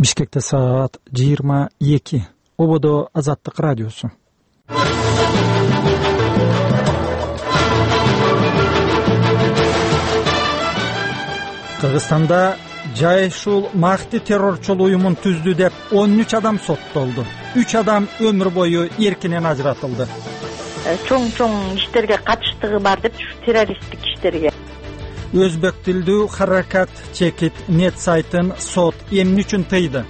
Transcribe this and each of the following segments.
Бишкекте саат 22. Ободо Азаттык радиосу. Кыргызстанда Жайшул Махти террорчул уюмун түздү деп 13 адам соттолду. 3 адам өмүр бою эркинен ажыратылды. Чоң иштерге катыштыгы бар деп, террористтик иштерге. Өзбек тилдүү Харакат Чекит нет сайтын сот эмне үчүн тыйды?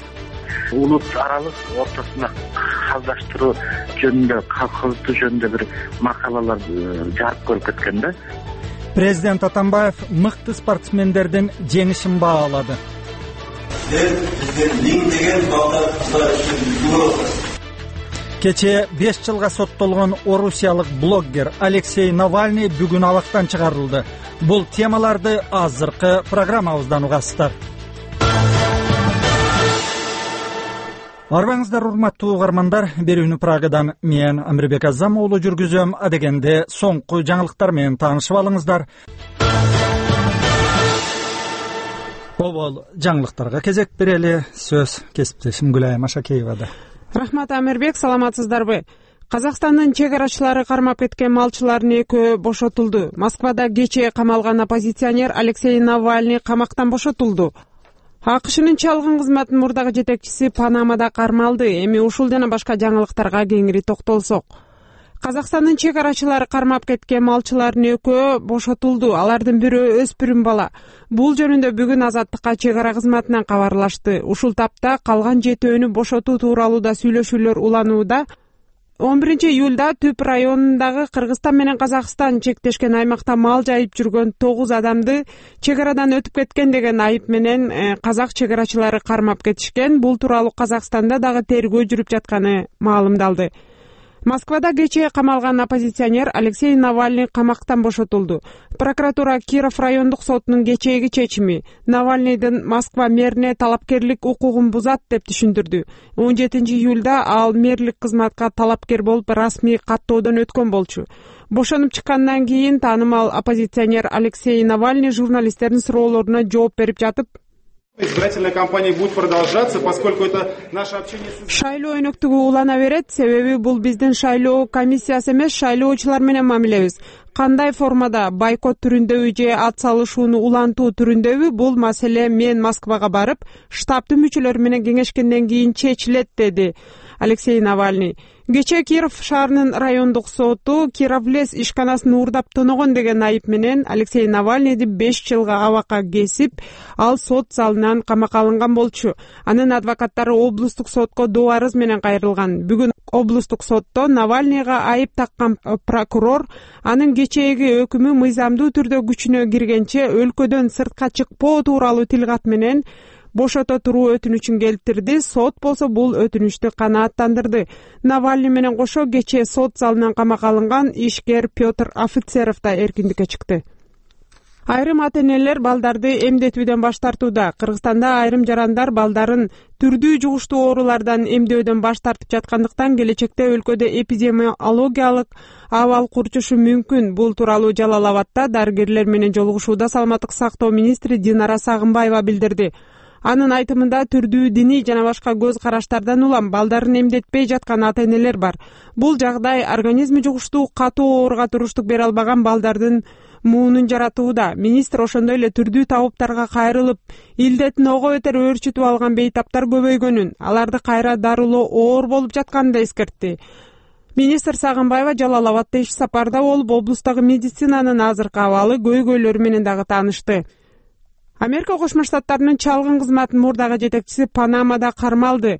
Улут аралык ортосуна калдаштыруу жөнүндө, колхоздуу жөнүндө бир макалалар жарык көрүп кеткен да. Президент Атамбаев мыкты спортсмендердин жеңишин баалады. Кече 5 жылга соттолгон орусиялык блогер Алексей Навальный бүгүн абактан чыгарылды. Бул темаларды азыркы программабыздан угасыздар. Арбаңыздар, урматтуу угармандар, берүүнү Прагадан мен Амирбек Азам уулу жүргүзөм. Адегенде соңку жаңылыктар менен таанышып алыңыздар. Обол жаңылыктарга кезек берели. Сөз кесиптешим Гүлай Машакеевада. Рахмат, Амирбек, саламатсыздарбы? Казакстандын чек арачылары кармап кеткен малчылардын экөө бошотулду. Москвада кечээ камалган оппозиционер Алексей Навальный камактан бошотулду. АКШнын чалгын кызматынын мурдагы жетекчиси Панамада кармалды. Эми ушул жана башка жаңылыктарга кеңири токтолсок. Казакстандын чек арачылары кармап кеткен малчылардын экөө бошотулду. Алардын бирөө өспүрүм бала. Бул жөнүндө бүгүн Азаттыкка чек ара кызматынан кабарлашты. Ушул тапта калган жетөөнү бошотуу тууралуу да сүйлөшүүлөр уланууда. 11 июлда Түп районундагы Кыргызстан менен Казакстан чектешкен аймакта мал жайып жүргөн 9 адамды чек арадан өтүп кеткен деген айып менен казак чек арачылары кармап кетишкен. Бул тууралуу Казакстанда дагы тергөө жүрүп жатканы маалымдалды. Москвада кечээ камалган оппозиционер Алексей Навальный камактан бошотулду. Прокуратура Киров райондук сотунун кечээги чечими Навальныйдын Москва мэрине талапкерлик укугун бузат деп түшүндүрдү. 17 июлда ал мэрлик кызматка талапкер болуп расмий каттоодон өткөн болчу. Бошонуп чыккандан кийин таанымал оппозиционер Алексей Навальный журналисттердин суроолоруна жооп берип жатып, избирательная кампания будет продолжаться, поскольку это наше общение с... Шайлоо өнөктүгү улана берет, себеби бул биздин шайлоо комиссиясы эмес, шайлоочулар менен мамилебиз. Кандай формада, бойкот түрүндөбү же ат салышууну улантуу түрүндөбү, бул маселе мен Москвага барып, штабтын мүчөлөрү менен кеңешкенден кийин чечилет, деди Алексей Навальный. Кечээ Киров шаарынын райондук соту Кировлес ишканасын уурдап тоногон деген айып менен Алексей Навальныйды 5 жылга абакка кесип, ал сот залынан камакка алынган болчу. Анын адвокаттары облустук сотко доо арыз менен кайрылган. Бүгүн облустук сотто Навальныйга айып таккан прокурор анын кечээги өкүмү мыйзамдуу түрдө күчүнө киргенче өлкөдөн сыртка чыкпоо тууралуу тилкат менен бошото туруу өтүнүчүн келтирди. Сот болсо бул өтүнүчтү канааттандырды. Навальный менен кошо кечээ сот залынан камакка алынган ишкер Петр Офицеров да эркиндикке чыкты. Айрым ата-энелер балдарды эмдетүүдөн баш тартууда. Кыргызстанда айрым жарандар балдарын түрдүү жугуштуу оорулардан эмдөөдөн баш тартып жаткандыктан келечекте өлкөдө эпидемиологиялык абал курчушу мүмкүн. Бул тууралуу Жалал Абадта дарыгерлер менен жолугушууда саламаттык сактоо министри Динара Сагынбаева билдирди. Анын айтымында түрдүү диний жана башка көз караштардан улам балдарын эмдетпей жаткан ата-энелер бар. Бул жагдай организми жугуштуу катуу ооруга туруштук бере албаган балдардын муунун жаратууда. Министр ошондой эле түрдүү табыптарга кайрылып, илдеттин ого бетер өөрчүтүп алган бейтаптар көбөйгөнүн, аларды кайра дарылоо оор болуп жатканын да эскертти. Министр Сагынбаева Жалал Абадта иш сапарда болуп, облустагы медицинанын азыркы абалы, көйгөйлөрү менен дагы таанышты. Америка Кошмо Штаттарынын чалгын кызматынын мурдагы жетекчиси Панамада кармалды.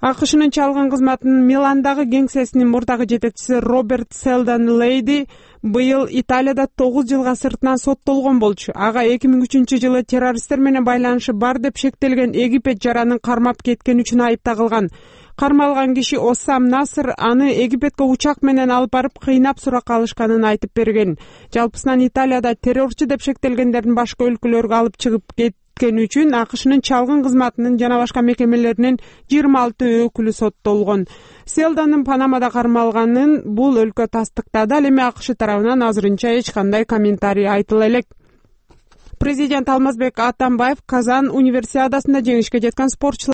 АКШнын чалгын кызматынын Миландагы кеңсесинин мурдагы жетекчиси Роберт Селдон Лейди быйыл Италияда 9 жылга сыртынан соттолгон болчу. Ага 2003 жылы террористтер менен байланышы бар деп шектелген Египет жаранын кармап кеткен үчүн айып тагылган. Кармалган киши Осам Насыр аны Египетке учак менен алып барып кыйнап суракка алышканын айтып берген. Жалпысынан Италияда террорчу деп шектелгендердин башка өлкөлөргө алып чыгып кеткен үчүн АКШнын чалгын кызматынын жана башка мекемелеринин 26 өкүлү соттолгон. Селдонун Панамада кармалганын бул өлкө тастыктады. Ал эми АКШ тарабынан азырынча эч кандай комментарий айтыла элек. Президент Алмазбек Атамбаев Казан универсиадасында жеңишке жеткен спортчулар